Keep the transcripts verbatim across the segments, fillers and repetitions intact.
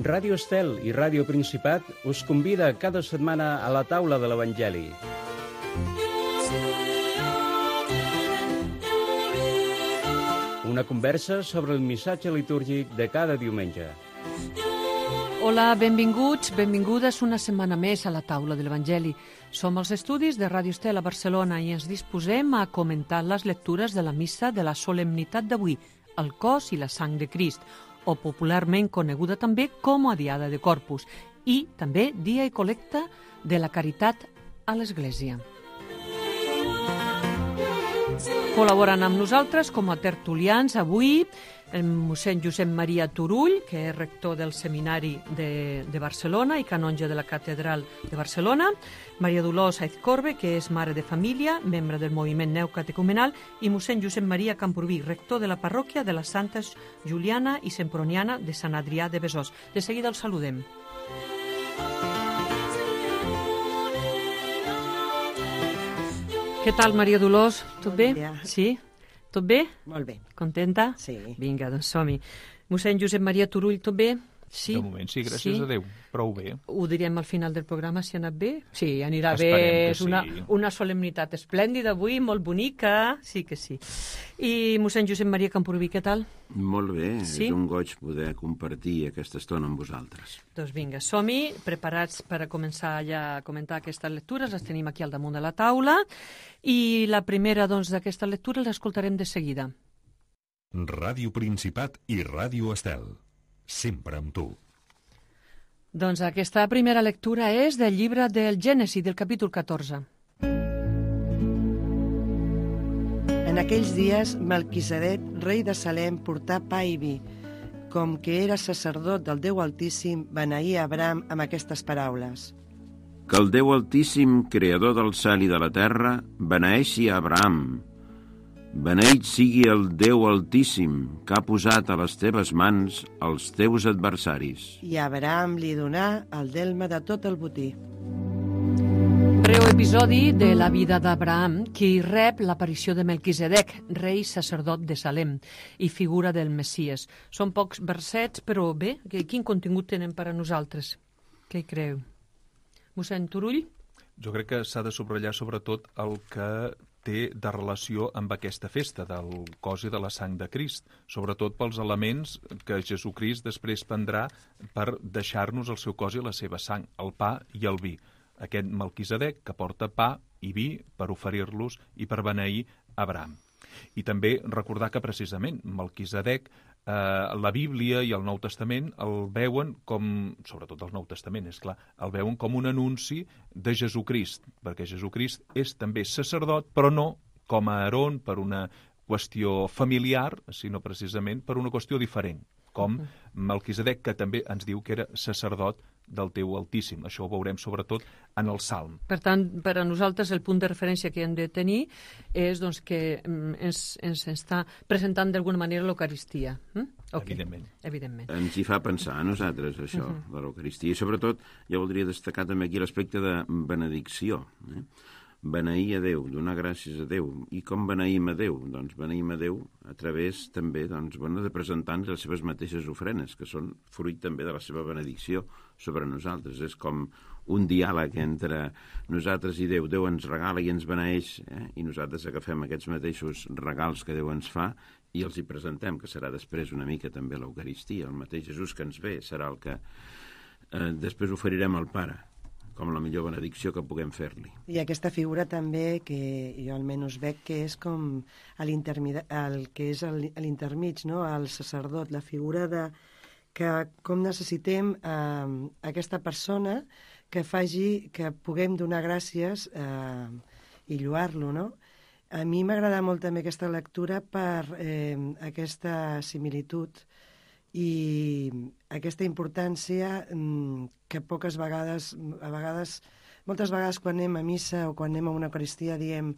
Ràdio Estel i Ràdio Principat us convida cada setmana a la taula de l'Evangeli. Una conversa sobre el missatge litúrgic de cada diumenge. Hola, benvinguts, benvingudes una setmana més a la taula de l'Evangeli. Som als estudis de Ràdio Estel a Barcelona i ens disposem a comentar les lectures de la missa de la solemnitat d'avui, el cos i la sang de Crist, o popularment coneguda també com a Diada de Corpus, i també dia i col·lecta de la caritat a l'Església. Col·laborant amb nosaltres com a tertulians avui el mossèn Josep Maria Turull, que és rector del Seminari de, de Barcelona i canonge de la Catedral de Barcelona, Maria Dolors Aizcorbe, que és mare de família, membre del moviment neocatecumenal, i mossèn Josep Maria Camprubí, rector de la parròquia de les Santes Juliana i Semproniana de Sant Adrià de Besòs. De seguida els saludem. Què tal, Maria Dolors? Tot bé? Sí? Tot bé? Molt bé. Contenta? Sí. Vinga, doncs som-hi. Mossèn Josep Maria Turull, tot bé? Sí? De moment sí, gràcies sí. a Déu. Prou bé. Ho direm al final del programa, si ha anat bé? Sí, anirà Esperem bé. que És una, sí. una solemnitat esplèndida avui, molt bonica. Sí que sí. I mossèn Josep Maria Camprubí, què tal? Molt bé, Sí? és un goig poder compartir aquesta estona amb vosaltres. Doncs vinga, som-hi, preparats per a començar ja a comentar aquestes lectures. Les tenim aquí al damunt de la taula. I la primera doncs, d'aquestes lectures l'escoltarem de seguida. Ràdio Principat i Ràdio Estel. Sempre amb tu. Doncs aquesta primera lectura és del llibre del Gènesi, del capítol catorze. En aquells dies, Melquisedec, rei de Salem, portà pa i vi. Com que era sacerdot del Déu Altíssim, beneïa Abraham amb aquestes paraules. Que el Déu Altíssim, creador del cel i de la terra, beneeixi a Abraham. Beneït sigui el Déu Altíssim, que ha posat a les teves mans els teus adversaris. I Abraham li donà el delme de tot el botí. Breu episodi de la vida d'Abraham, qui rep l'aparició de Melquisedec, rei sacerdot de Salem i figura del Messies. Són pocs versets, però bé, quin contingut tenen per a nosaltres? Què hi creu? Mossèn Turull? Jo crec que s'ha de subratllar sobretot el que té de relació amb aquesta festa del cos i de la sang de Crist, sobretot pels elements que Jesucrist després prendrà per deixar-nos el seu cos i la seva sang, el pa i el vi. Aquest Melquisedec que porta pa i vi per oferir-los i per beneir Abraham. I també recordar que precisament Melquisedec, eh, la Bíblia i el Nou Testament el veuen com, sobretot el Nou Testament, és clar, el veuen com un anunci de Jesucrist, perquè Jesucrist és també sacerdot, però no com a Aarón per una qüestió familiar, sinó precisament per una qüestió diferent, com Melquisedec, que també ens diu que era sacerdot del Déu Altíssim. Això ho veurem sobretot en el Salm. Per tant, per a nosaltres el punt de referència que hem de tenir és doncs, que ens, ens està presentant d'alguna manera l'Eucaristia. Hm? Okay. Evidentment. Evidentment. Ens hi fa pensar a nosaltres, això, uh -huh. de l'Eucaristia. I sobretot, jo voldria destacar també aquí l'aspecte de benedicció. Eh? Beneir a Déu, donar gràcies a Déu. I com beneïm a Déu? Doncs beneïm a Déu a través també doncs, bueno, de presentar-nos les seves mateixes ofrenes, que són fruit també de la seva benedicció sobre nosaltres. És com un diàleg entre nosaltres i Déu. Déu ens regala i ens beneeix, eh? I nosaltres agafem aquests mateixos regals que Déu ens fa i els hi presentem, que serà després una mica també l'Eucaristia. El mateix Jesús que ens ve serà el que eh, després oferirem al Pare, com la millor benedicció que puguem fer-li. I aquesta figura també, que jo almenys veig que és com el que és l'intermig, no? El sacerdot, la figura de que com necessitem eh, aquesta persona que faci que puguem donar gràcies eh, i lloar-lo, no? A mi m'agrada molt també aquesta lectura per eh, aquesta similitud i aquesta importància que poques vegades, a vegades, moltes vegades quan anem a missa o quan anem a una Eucaristia diem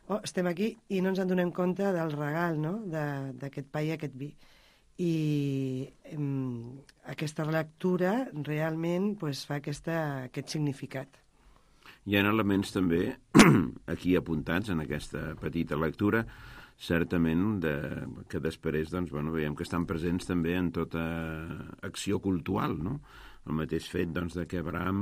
oh, estem aquí i no ens en donem compte del regal, no?, d'aquest pa i aquest vi. I um, aquesta lectura realment pues, fa aquesta, aquest significat. Hi ha elements també aquí apuntats en aquesta petita lectura, certament de, que després doncs, bueno, veiem que estan presents també en tota acció cultural, no? El mateix fet doncs, de que Abraham,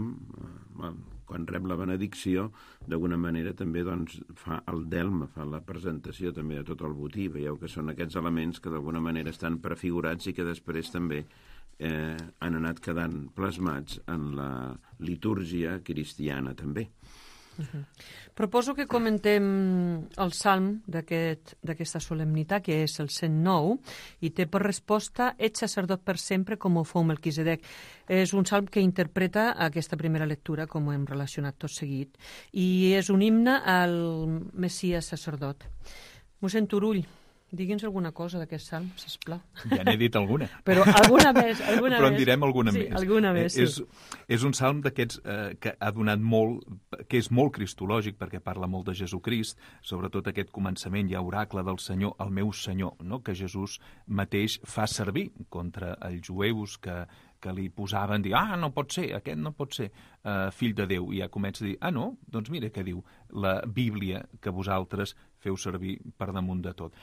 eh, quan rep la benedicció, d'alguna manera també doncs, fa el delme, fa la presentació també de tot el botí. Veieu que són aquests elements que d'alguna manera estan prefigurats i que després també eh, han anat quedant plasmats en la litúrgia cristiana també. Uh-huh. Proposo que comentem el salm d'aquest, d'aquesta solemnitat, que és el cent nou, i té per resposta «Ets sacerdot per sempre com ho fou Melquisedec». És un salm que interpreta aquesta primera lectura, com ho hem relacionat tot seguit, i és un himne al Messies sacerdot. Mossèn Turull, digui'ns alguna cosa d'aquest salm, sisplau. Ja n'he dit alguna. Però alguna més, alguna Però més. en direm alguna sí, més. Alguna més, eh, sí. És, és un salm d'aquests eh, que ha donat molt, que és molt cristològic, perquè parla molt de Jesucrist, sobretot aquest començament, hi ha oracle del Senyor, el meu Senyor, no? Que Jesús mateix fa servir contra els jueus que, que li posaven, dir, ah, no pot ser, aquest no pot ser uh, fill de Déu, i ja comença a dir, ah, no? Doncs mira què diu la Bíblia que vosaltres feu servir per damunt de tot.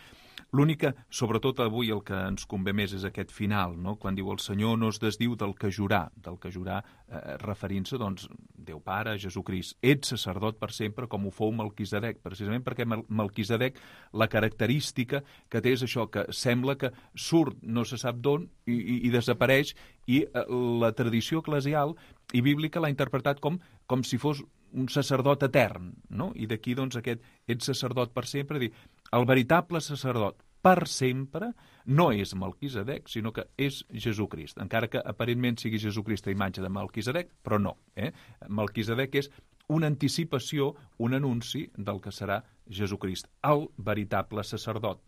L'únic que, sobretot avui, el que ens convé més és aquest final, no? Quan diu el Senyor no es desdiu del que jurà, del que jurà eh, referint-se, doncs, Déu Pare, Jesucrist. Ets sacerdot per sempre com ho fou Melquisedec, precisament perquè Melquisedec, la característica que té és això, que sembla que surt no se sap d'on i, i, i desapareix, i eh, la tradició eclesial i bíblica l'ha interpretat com, com si fos un sacerdot etern, no? I d'aquí, doncs, aquest ets sacerdot per sempre, dir, el veritable sacerdot per sempre no és Melquisedec, sinó que és Jesucrist, encara que aparentment sigui Jesucrist a imatge de Melquisedec, però no. Eh? Melquisedec és una anticipació, un anunci del que serà Jesucrist, el veritable sacerdot,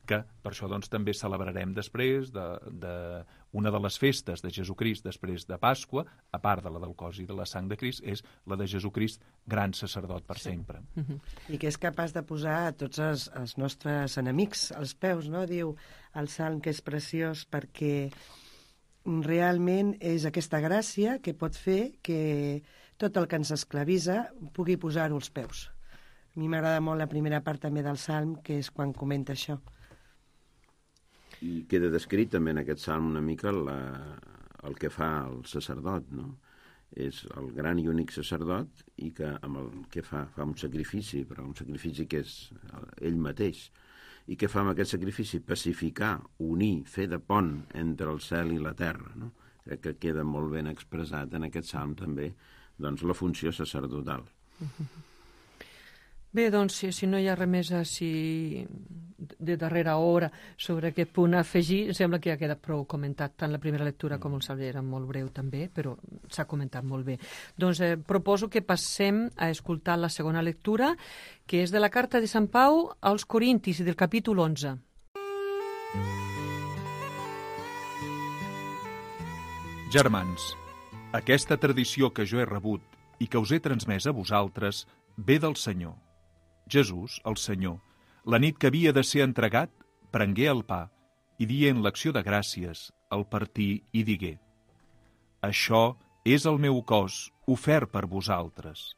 que per això doncs, també celebrarem després de, de una de les festes de Jesucrist després de Pasqua, a part de la del cos i de la sang de Crist, és la de Jesucrist, gran sacerdot per sí. sempre. Uh-huh. I que és capaç de posar a tots els, els nostres enemics als peus, no? Diu el salm que és preciós perquè realment és aquesta gràcia que pot fer que tot el que ens esclavitza pugui posar-ho als peus. A mi m'agrada molt la primera part també del salm, que és quan comenta això. I queda descrit també en aquest salm una mica la, el que fa el sacerdot, no? És el gran i únic sacerdot i que amb el que fa, fa un sacrifici, però un sacrifici que és ell mateix. I què fa amb aquest sacrifici? Pacificar, unir, fer de pont entre el cel i la terra, no? Crec que queda molt ben expressat en aquest salm també, doncs, la funció sacerdotal. Bé, doncs, si, si no hi ha res més així de darrera hora sobre aquest punt a afegir, sembla que ja ha quedat prou comentat, tant la primera lectura com el salm era molt breu també, però s'ha comentat molt bé. Doncs eh, proposo que passem a escoltar la segona lectura, que és de la carta de Sant Pau als Corintis i del capítol onze. Germans, aquesta tradició que jo he rebut i que us he transmès a vosaltres ve del Senyor. Jesús, el Senyor, la nit que havia de ser entregat, prengué el pa i dient l'acció de gràcies, el partí i digué: Això és el meu cos, ofert per vosaltres.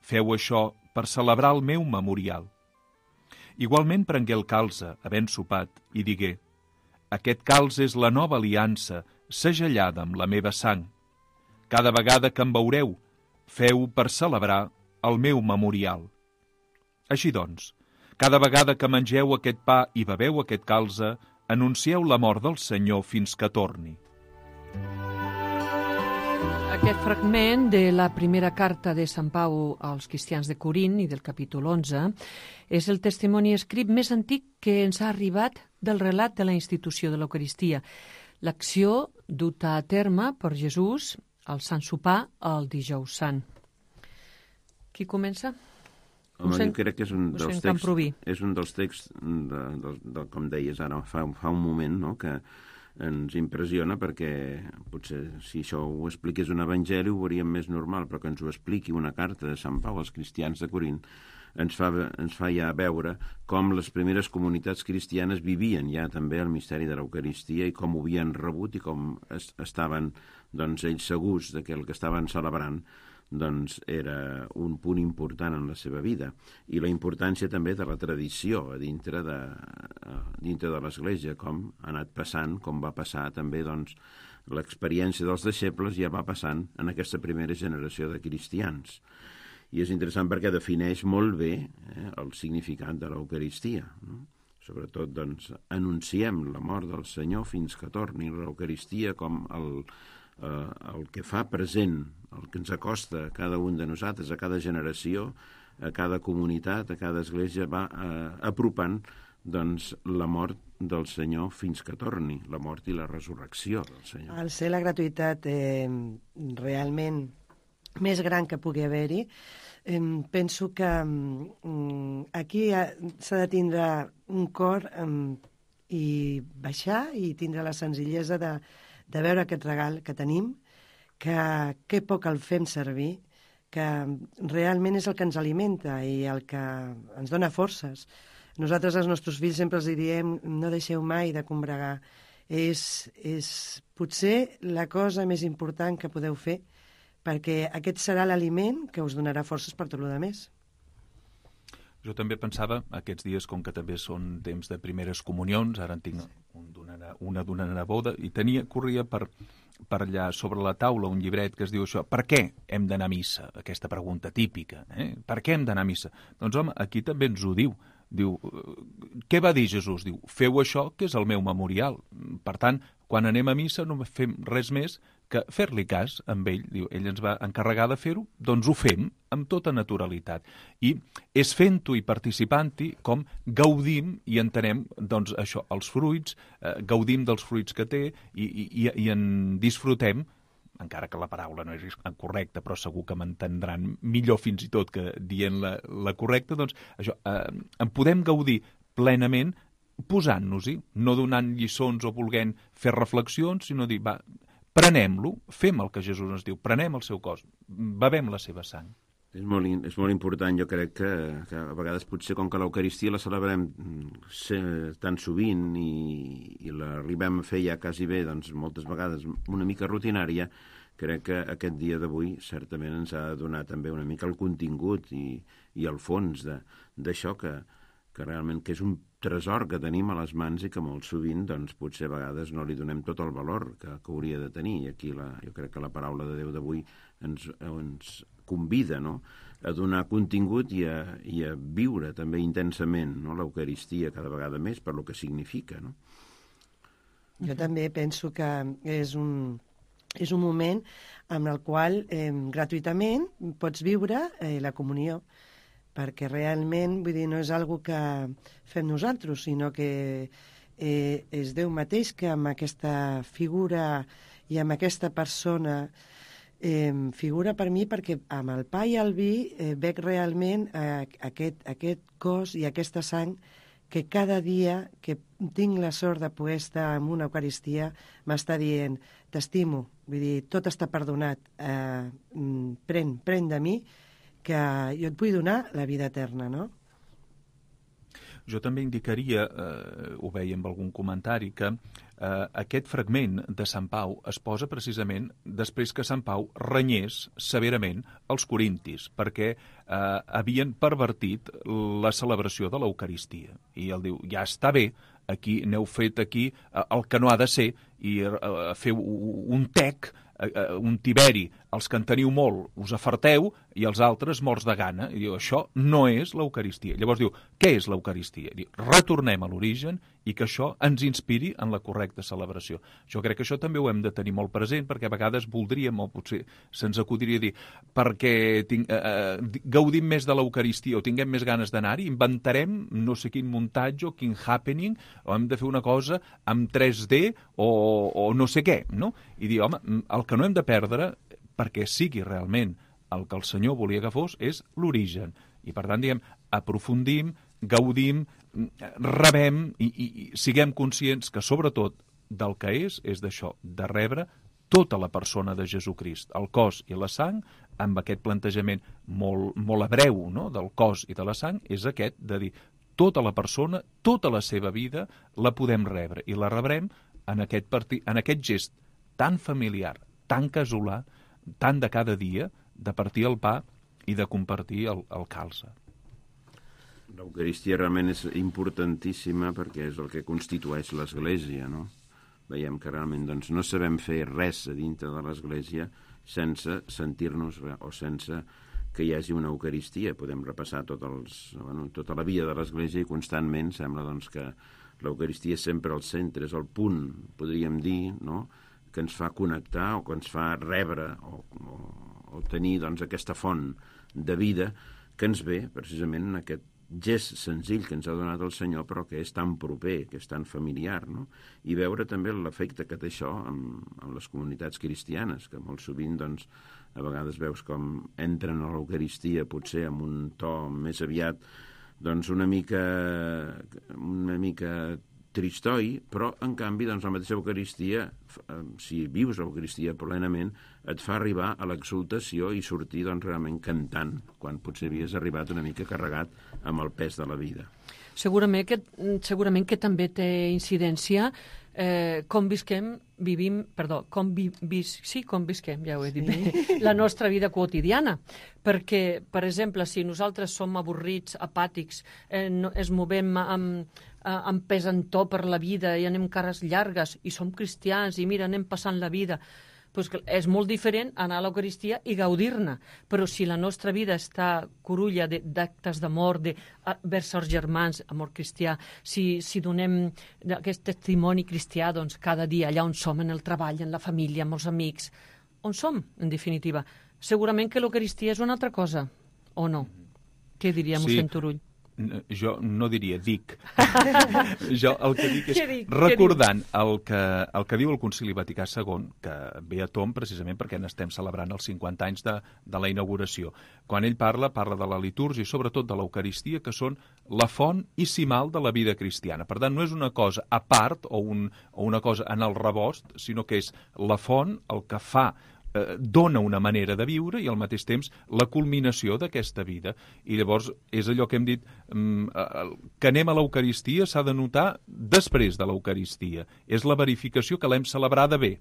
Feu això per celebrar el meu memorial. Igualment prengué el calze, havent sopat, i digué: Aquest calze és la nova aliança, segellada amb la meva sang. Cada vegada que em veureu, feu per celebrar el meu memorial. Així doncs, cada vegada que mengeu aquest pa i beveu aquest calze, anuncieu la mort del Senyor fins que torni. Aquest fragment de la primera carta de Sant Pau als cristians de Corint i del capítol onze és el testimoni escrit més antic que ens ha arribat del relat de la institució de l'Eucaristia, l'acció duta a terme per Jesús al Sant Sopar el dijous sant. Qui comença? Home, jo crec que és un dels texts, és un dels texts de, de, de, com deies ara fa, fa un moment, no? Que ens impressiona perquè potser si això ho expliqués un evangeli ho veuríem més normal, però que ens ho expliqui una carta de Sant Pau als cristians de Corint ens fa, ens fa ja veure com les primeres comunitats cristianes vivien ja també el misteri de l'Eucaristia i com ho havien rebut i com es, estaven doncs, ells segurs de que el que estaven celebrant doncs era un punt important en la seva vida, i la importància també de la tradició a dintre de, a dintre de l'Església, com ha anat passant, com va passar també doncs, l'experiència dels deixebles ja va passant en aquesta primera generació de cristians. I és interessant perquè defineix molt bé eh, el significat de l'Eucaristia, no? Sobretot, doncs, anunciem la mort del Senyor fins que torni, l'Eucaristia com el, eh, el que fa present, el que ens acosta a cada un de nosaltres, a cada generació, a cada comunitat, a cada església, va eh, apropant doncs, la mort del Senyor fins que torni, la mort i la resurrecció del Senyor. Al ser la gratuïtat eh, realment més gran que pugui haver-hi, eh, penso que eh, aquí s'ha de tindre un cor eh, i baixar i tindre la senzillesa de, de veure aquest regal que tenim, que, que poc el fem servir, que realment és el que ens alimenta i el que ens dona forces. Nosaltres als nostres fills sempre els diem no deixeu mai de combregar. És, és potser la cosa més important que podeu fer, perquè aquest serà l'aliment que us donarà forces per tot el que més. Jo també pensava, aquests dies, com que també són temps de primeres comunions, ara en tinc un una d'una neboda, i tenia, corria per, per allà sobre la taula un llibret que es diu això, per què hem d'anar a missa? Aquesta pregunta típica, eh? Per què hem d'anar a missa? Doncs home, aquí també ens ho diu. Diu, què va dir Jesús? Diu, feu això que és el meu memorial. Per tant, quan anem a missa no fem res més que fer-li cas amb ell. Diu, ell ens va encarregar de fer-ho, doncs ho fem amb tota naturalitat. I és fent-ho i participant-hi com gaudim i entenem doncs, això, els fruits, eh, gaudim dels fruits que té i, i, i en disfrutem, encara que la paraula no és correcta, però segur que m'entendran millor fins i tot que dient la, la correcta, doncs això, eh, en podem gaudir plenament posant-nos-hi, no donant lliçons o volent fer reflexions, sinó dir, va, prenem-lo, fem el que Jesús ens diu, prenem el seu cos, bevem la seva sang. És molt, és molt important, jo crec que, que a vegades potser com que l'Eucaristia la celebrem tan sovint i, i l'arribem a fer ja quasi bé, doncs moltes vegades una mica rutinària, crec que aquest dia d'avui certament ens ha de donar també una mica el contingut i, i el fons d'això que, que realment que és un tresor que tenim a les mans i que molt sovint doncs, potser a vegades no li donem tot el valor que, que hauria de tenir. I aquí la, jo crec que la paraula de Déu d'avui ens, ens convida, no?, a donar contingut i a, i a viure també intensament, no?, l'Eucaristia cada vegada més per lo que significa, no? Jo també penso que és un, és un moment en el qual eh, gratuïtament pots viure eh, la comunió, perquè realment, vull dir, no és algo que fem nosaltres, sinó que eh, és Déu mateix que amb aquesta figura i amb aquesta persona eh, figura per mi, perquè amb el pa i el vi eh, veig realment eh, aquest, aquest cos i aquesta sang que cada dia que tinc la sort de poder estar en una Eucaristia m'està dient, t'estimo, vull dir, tot està perdonat, eh, pren, pren de mi, que jo et vull donar la vida eterna, no? Jo també indicaria, eh, ho veia amb algun comentari, que eh, aquest fragment de Sant Pau es posa precisament després que Sant Pau renyés severament els corintis, perquè eh, havien pervertit la celebració de l'Eucaristia. I ell diu, ja està bé, aquí n'heu fet aquí eh, el que no ha de ser, i eh, feu un tec, eh, un tiberi, els que en teniu molt us afarteu i els altres morts de gana. I diu, això no és l'Eucaristia. Llavors diu, què és l'Eucaristia? Diu, retornem a l'origen i que això ens inspiri en la correcta celebració. Jo crec que això també ho hem de tenir molt present, perquè a vegades voldríem, o potser se'ns acudiria dir, perquè tinc, eh, gaudim més de l'Eucaristia o tinguem més ganes d'anar-hi, inventarem no sé quin muntatge o quin happening, o hem de fer una cosa amb tres D o, o no sé què, no? I dir, home, el que no hem de perdre, perquè sigui realment el que el Senyor volia que fos, és l'origen. I per tant, diguem, aprofundim, gaudim, rebem i, i, i siguem conscients que sobretot del que és, és d'això, de rebre tota la persona de Jesucrist, el cos i la sang, amb aquest plantejament molt, molt hebreu, no?, del cos i de la sang, és aquest de dir, tota la persona, tota la seva vida la podem rebre i la rebrem en aquest, partit, en aquest gest tan familiar, tan casolà, tant de cada dia, de partir el pa i de compartir el, el calze. L'Eucaristia realment és importantíssima perquè és el que constitueix l'Església, no? Veiem que realment doncs, no sabem fer res a dintre de l'Església sense sentir-nos o sense que hi hagi una Eucaristia. Podem repassar tot els, bueno, tota la vida de l'Església i constantment sembla doncs, que l'Eucaristia és sempre al centre, és el punt, podríem dir, no?, que ens fa connectar o que ens fa rebre o, o, o tenir doncs, aquesta font de vida que ens ve precisament en aquest gest senzill que ens ha donat el Senyor, però que és tan proper, que és tan familiar, no? I veure també l'efecte que té això en, en les comunitats cristianes, que molt sovint, doncs, a vegades veus com entren a l'Eucaristia potser amb un to més aviat, doncs, una mica, una mica tristoi, però, en canvi, doncs, la mateixa Eucaristia, si vius l'Eucaristia plenament, et fa arribar a l'exultació i sortir, doncs, realment cantant, quan potser havies arribat una mica carregat amb el pes de la vida. Segurament que, segurament que també té incidència eh, com visquem, vivim, perdó, com vi, vis, sí, com visquem, ja ho he dit bé, sí. La nostra vida quotidiana. Perquè, per exemple, si nosaltres som avorrits, apàtics, eh, no, es movem amb, amb pesantó per la vida i anem cares llargues i som cristians i mira, anem passant la vida, pues és molt diferent anar a l'Eucaristia i gaudir-ne. Però si la nostra vida està curulla d'actes d'amor, de vers els germans, amor cristià, si, si donem aquest testimoni cristià doncs, cada dia allà on som, en el treball, en la família, amb els amics, on som, en definitiva, segurament que l'Eucaristia és una altra cosa, o no? Què diria sí. mossèn Turull? Jo no diria dic. Jo el que dic és, dic? recordant el que, el que diu el Concili Vaticà segon, que ve a tom precisament perquè n'estem celebrant els cinquanta anys de, de la inauguració. Quan ell parla, parla de la litúrgia i sobretot de l'Eucaristia, que són la font i cimal de la vida cristiana. Per tant, no és una cosa a part o, un, o una cosa en el rebost, sinó que és la font el que fa dona una manera de viure i al mateix temps la culminació d'aquesta vida. I llavors és allò que hem dit, que anem a l'Eucaristia s'ha de notar després de l'Eucaristia. És la verificació que l'hem celebrada bé.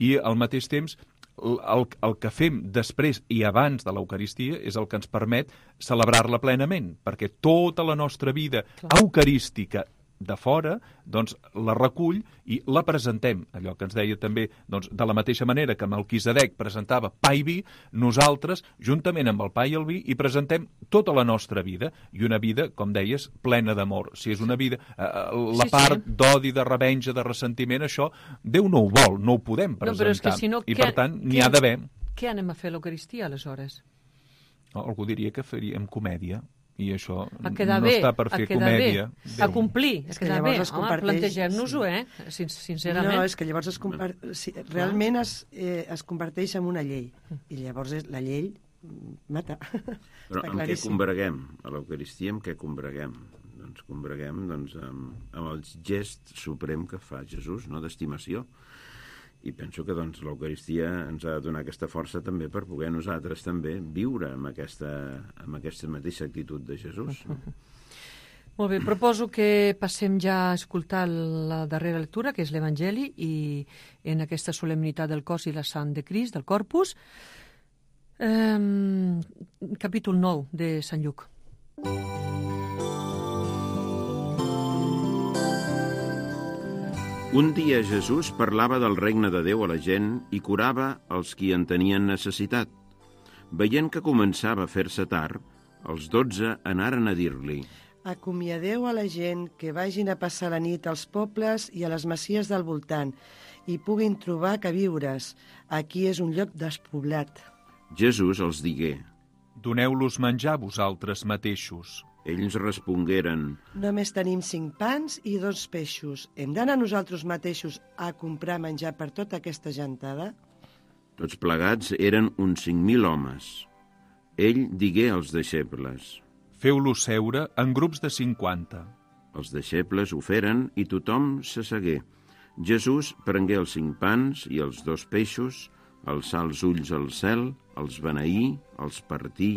I al mateix temps el, el que fem després i abans de l'Eucaristia és el que ens permet celebrar-la plenament, perquè tota la nostra vida Clar. eucarística de fora, doncs la recull i la presentem. Allò que ens deia també, doncs, de la mateixa manera que Melquisedec presentava pa i vi, nosaltres, juntament amb el pa i el vi, hi presentem tota la nostra vida, i una vida, com deies, plena d'amor. Si és una vida, eh, la sí, part sí. d'odi, de revenja, de ressentiment, això Déu no ho vol, no ho podem presentar. No, però és que si no, I què, per tant, n'hi ha d'haver. Què anem a fer a l'Eucaristia, aleshores? No, algú diria que faríem comèdia. I això a no bé, està per fer comèdia. A complir, a quedar bé. Home, comparteix... plantegem-nos-ho, eh? Sin sincerament. No, és que llavors es compar... sí, realment es, eh, es converteix en una llei. I llavors és, la llei mata. Però amb què combreguem? A l'Eucaristia amb què combreguem? Doncs combreguem doncs, amb, amb el gest suprem que fa Jesús, no? D'estimació. I penso que doncs, l'Eucaristia ens ha de donar aquesta força també per poder nosaltres també viure amb aquesta, amb aquesta mateixa actitud de Jesús. No? Molt bé, proposo que passem ja a escoltar la darrera lectura, que és l'Evangeli, i en aquesta solemnitat del cos i la sang de Crist, del Corpus, eh, capítol nou de Sant Lluc. Un dia Jesús parlava del regne de Déu a la gent i curava els qui en tenien necessitat. Veient que començava a fer-se tard, els dotze anaren a dir-li: acomiadeu a la gent que vagin a passar la nit als pobles i a les masies del voltant i puguin trobar queviures. Aquí és un lloc despoblat. Jesús els digué: doneu-los menjar vosaltres mateixos. Ells respongueren: només tenim cinc pans i dos peixos. Hem d'anar nosaltres mateixos a comprar menjar per tota aquesta gentada? Tots plegats eren uns cinc mil homes. Ell digué als deixebles: feu-los seure en grups de cinquanta. Els deixebles ho feren i tothom s'assegué. Jesús prengué els cinc pans i els dos peixos, alçà els ulls al cel, els beneí, els partí,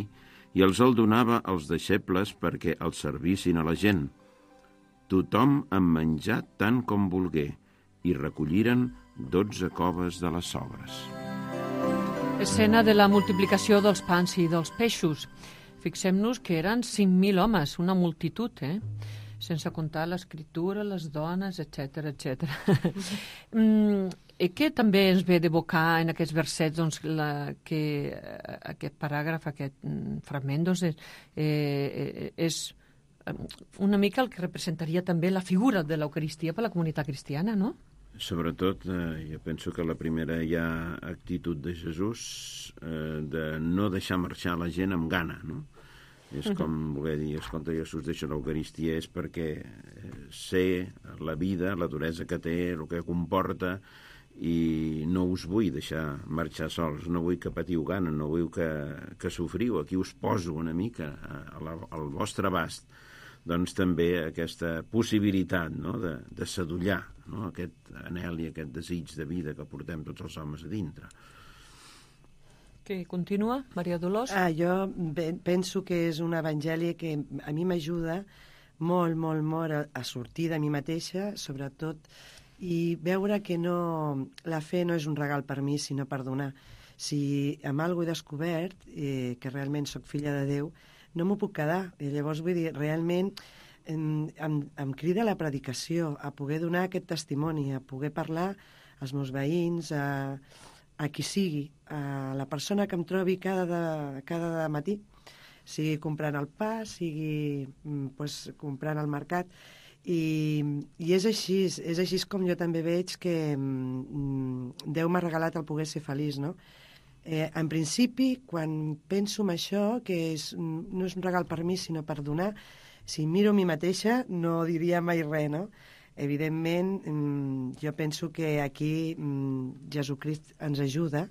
i els el donava als deixebles perquè els servissin a la gent. Tothom en menjà tant com volgué, i recolliren dotze coves de les sobres. Escena de la multiplicació dels pans i dels peixos. Fixem-nos que eren cinc mil homes, una multitud, eh? Sense comptar l'escriptura, les dones, etcètera, etcètera. mm, I què també ens ve d'evocar en aquests versets doncs, la, que aquest paràgraf, aquest mm, fragment, doncs, és, eh, és una mica el que representaria també la figura de l'Eucaristia per a la comunitat cristiana, no? Sobretot, eh, jo penso que la primera hi ha actitud de Jesús eh, de no deixar marxar la gent amb gana, no? És com voler dir, escolta, Jesús deixa l'Eucaristia és perquè sé la vida, la duresa que té, el que comporta, i no us vull deixar marxar sols, no vull que patiu gana, no vull que, que sofriu, aquí us poso una mica a la, al vostre abast, doncs també aquesta possibilitat, no?, de, de sadollar, no?, aquest anhel i aquest desig de vida que portem tots els homes a dintre. Que continua, Maria Dolors? Ah, jo penso que és un evangeli que a mi m'ajuda molt, molt, molt a, a sortir de mi mateixa, sobretot, i veure que no, la fe no és un regal per mi, sinó per donar. Si amb alguna cosa he descobert, eh, que realment sóc filla de Déu, no m'ho puc quedar. I llavors, vull dir, realment em, em, em crida la predicació, a poder donar aquest testimoni, a poder parlar als meus veïns, a, a qui sigui, a la persona que em trobi cada, de, cada de matí, sigui comprant el pa, sigui pues, comprant al mercat. I, i és així, és així com jo també veig que mm, Déu m'ha regalat el poder ser feliç, no? Eh, en principi, quan penso en això, que és, no és un regal per mi, sinó per donar, si miro a mi mateixa no diria mai res, no? Evidentment, mm, jo penso que aquí mm, Jesucrist ens ajuda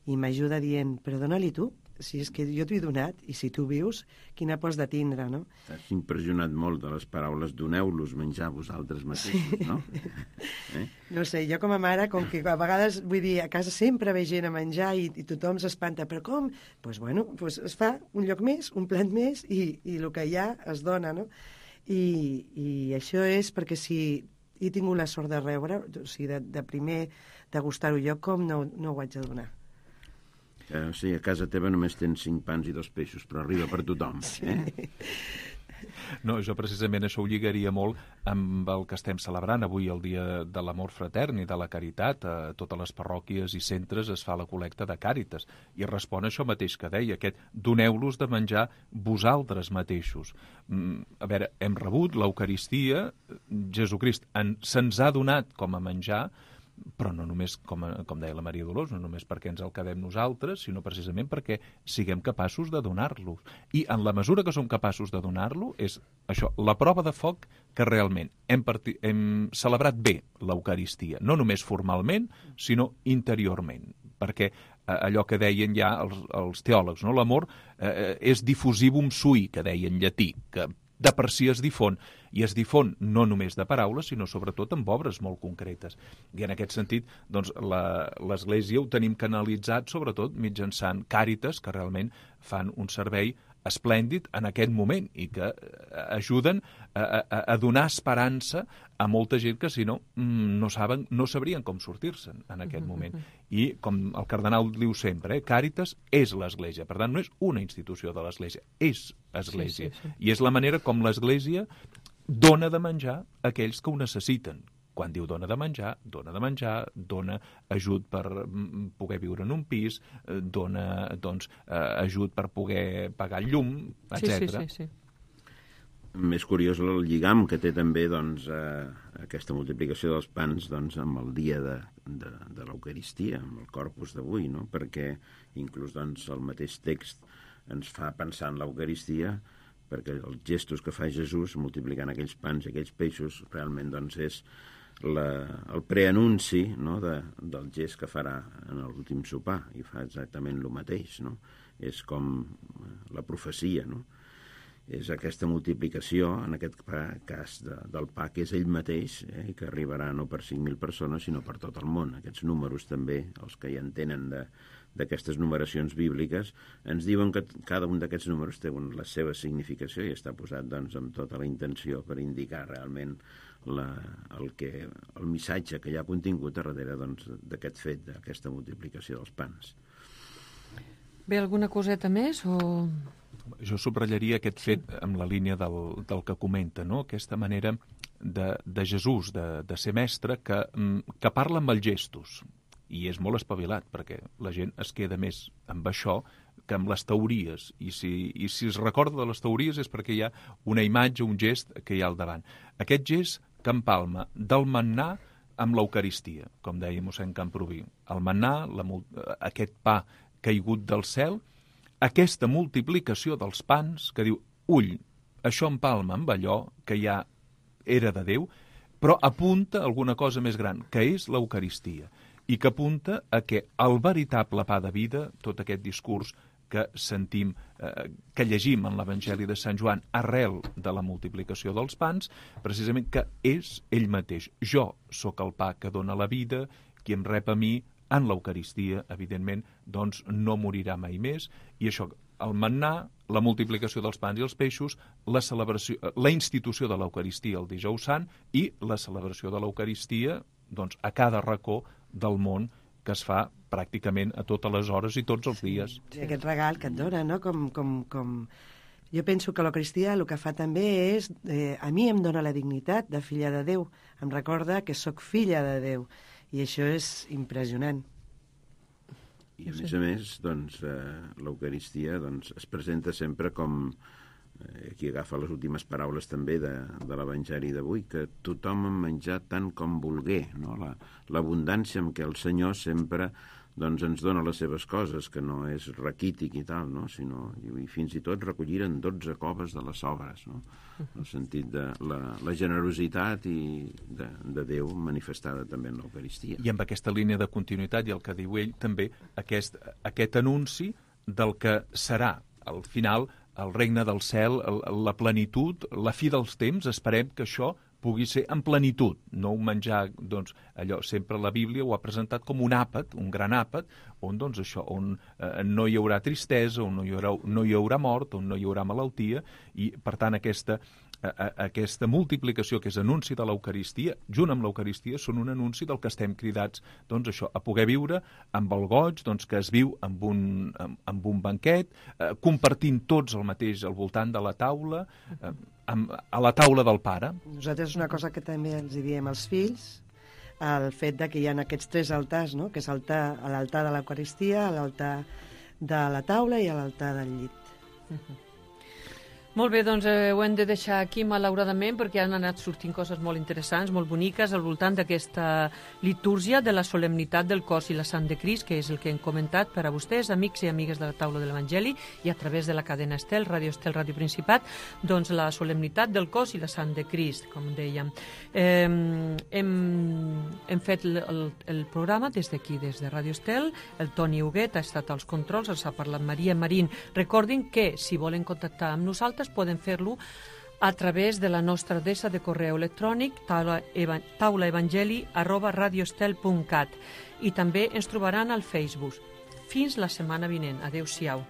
i m'ajuda dient, però dona-li tu, si és que jo t'ho he donat, i si tu vius, quina pots de tindre, no? T'has impressionat molt de les paraules doneu-los menjar vosaltres mateixos, sí. No? Eh? No sé, jo com a mare, com que a vegades, vull dir, a casa sempre ve gent a menjar i, i tothom s'espanta, però com? Doncs, pues, bueno, pues es fa un lloc més, un plat més, i, i el que hi ha es dona, no? I, i això és perquè si he tingut la sort de rebre, o sigui, de, de primer degustar-ho jo, com no, no ho haig de donar? Eh, sí, a casa teva només tens cinc pans i dos peixos, però arriba per tothom. Eh? No, jo precisament això ho lligaria molt amb el que estem celebrant avui, el Dia de l'Amor Fratern i de la Caritat. A totes les parròquies i centres es fa la col·lecta de Càritas i respon a això mateix que deia, aquest doneu-los de menjar vosaltres mateixos. A veure, hem rebut l'Eucaristia, Jesucrist se'ns ha donat com a menjar, però no només, com, com deia la Maria Dolors, no només perquè ens el quedem nosaltres, sinó precisament perquè siguem capaços de donar-lo. I en la mesura que som capaços de donar-lo, és això, la prova de foc que realment hem, parti, hem celebrat bé l'Eucaristia, no només formalment, sinó interiorment, perquè eh, allò que deien ja els, els teòlegs, no? L'amor eh, és diffusivum sui, que deia en llatí, que de per si es difon, i es difon no només de paraules, sinó sobretot amb obres molt concretes. I en aquest sentit, doncs, l'Església ho tenim canalitzat sobretot mitjançant Càritas, que realment fan un servei esplèndid en aquest moment i que ajuden a, a, a donar esperança a molta gent que, si no, no saben, no sabrien com sortir-se'n en aquest moment. I, com el cardenal diu sempre, eh, Càritas és l'Església. Per tant, no és una institució de l'Església, és Església. Sí, sí, sí. I és la manera com l'Església dona de menjar a aquells que ho necessiten. Quan diu dona de menjar, dona de menjar, dona ajut per poder viure en un pis, dona doncs, ajut per poder pagar el llum, etcètera. Sí, sí, sí, sí. Més curiós el lligam que té també doncs, eh, aquesta multiplicació dels pans doncs, amb el dia de, de, de l'Eucaristia, amb el Corpus d'avui, no? Perquè inclús doncs, el mateix text ens fa pensar en l'Eucaristia, perquè els gestos que fa Jesús multiplicant aquells pans i aquells peixos realment doncs, és la, el preanunci, no? de, del gest que farà en l'últim sopar, i fa exactament el mateix, no? És com la profecia, no? És aquesta multiplicació, en aquest cas de, del pa, que és ell mateix, eh, que arribarà no per cinc mil persones, sinó per tot el món. Aquests números també, els que hi entenen de, d'aquestes numeracions bíbliques, ens diuen que cada un d'aquests números té la seva significació i està posat doncs, amb tota la intenció per indicar realment la, el, que, el missatge que hi ha contingut a darrere doncs, d'aquest fet, d'aquesta multiplicació dels pans. Bé, alguna coseta més o...? Jo subratllaria aquest fet amb la línia del, del que comenta, no? Aquesta manera de, de Jesús, de, de ser mestre, que, que parla amb els gestos, i és molt espavilat, perquè la gent es queda més amb això que amb les teories, i si, i si es recorda de les teories és perquè hi ha una imatge, un gest que hi ha al davant. Aquest gest que empalma del mannà amb l'Eucaristia, com deia mossèn Camproví. El mannà, la, aquest pa caigut del cel, aquesta multiplicació dels pans que diu, ull, això empalma amb allò que ja era de Déu, però apunta a alguna cosa més gran, que és l'Eucaristia, i que apunta a que el veritable pa de vida, tot aquest discurs que sentim, eh, que llegim en l'Evangeli de Sant Joan arrel de la multiplicació dels pans, precisament que és ell mateix. Jo sóc el pa que dona la vida, qui em rep a mi en l'Eucaristia, evidentment, doncs no morirà mai més, i això, el mannà, la multiplicació dels pans i els peixos, la celebració, la institució de l'Eucaristia el dijous sant i la celebració de l'Eucaristia doncs, a cada racó del món que es fa pràcticament a totes les hores i tots els dies. Sí, aquest regal que et dona, no? Com, com, com... Jo penso que l'Eucaristia el que fa també és, eh, a mi em dona la dignitat de filla de Déu, em recorda que sóc filla de Déu, i això és impressionant. I a més a més, doncs, eh, l'Eucaristia doncs, es presenta sempre com, eh, aquí agafa les últimes paraules també de, de l'Evangeli d'avui, que tothom ha menjat tant com volgué, no? La, l'abundància amb què el Senyor sempre doncs, ens dona les seves coses, que no és raquític i tal, no? Sinó, i fins i tot recolliren dotze coves de les sobres, no? En el sentit de la, la generositat i de, de Déu manifestada també en l'Eucaristia. I amb aquesta línia de continuïtat, i el que diu ell, també aquest, aquest anunci del que serà, al final, el regne del cel, el, la plenitud, la fi dels temps, esperem que això pugui ser en plenitud, no un menjar, doncs, allò, sempre la Bíblia ho ha presentat com un àpat, un gran àpat, on, doncs, això, on eh, no hi haurà tristesa, on no hi haurà, no hi haurà mort, on no hi haurà malaltia, i, per tant, aquesta, a, a, aquesta multiplicació que és anunci de l'Eucaristia, junt amb l'Eucaristia, són un anunci del que estem cridats, doncs, això, a poder viure amb el goig, doncs, que es viu amb un, amb, amb un banquet, eh, compartint tots el mateix al voltant de la taula, eh, amb, a la taula del pare. Nosaltres una cosa que també els diem als fills, el fet de que hi ha aquests tres altars, no? Que és altar, l'altar de l'Eucaristia, l'altar de la taula i l'altar del llit. Uh-huh. Molt bé, doncs eh, ho hem de deixar aquí malauradament perquè han anat sortint coses molt interessants, molt boniques al voltant d'aquesta litúrgia de la solemnitat del cos i la sang de Crist, que és el que hem comentat per a vostès, amics i amigues de la taula de l'Evangeli, i a través de la cadena Estel, Ràdio Estel, Ràdio Principat, doncs la solemnitat del cos i la sang de Crist, com dèiem. Eh, hem, hem fet el, el, el programa des d'aquí, des de Ràdio Estel, el Toni Huguet ha estat als controls, els ha parlat Maria Marín. Recordin que, si volen contactar amb nosaltres, poden fer-lo a través de la nostra adreça de correu electrònic taulaevangeli arroba radioestel punt cat, i també ens trobaran al Facebook. Fins la setmana vinent. Adéu-siau.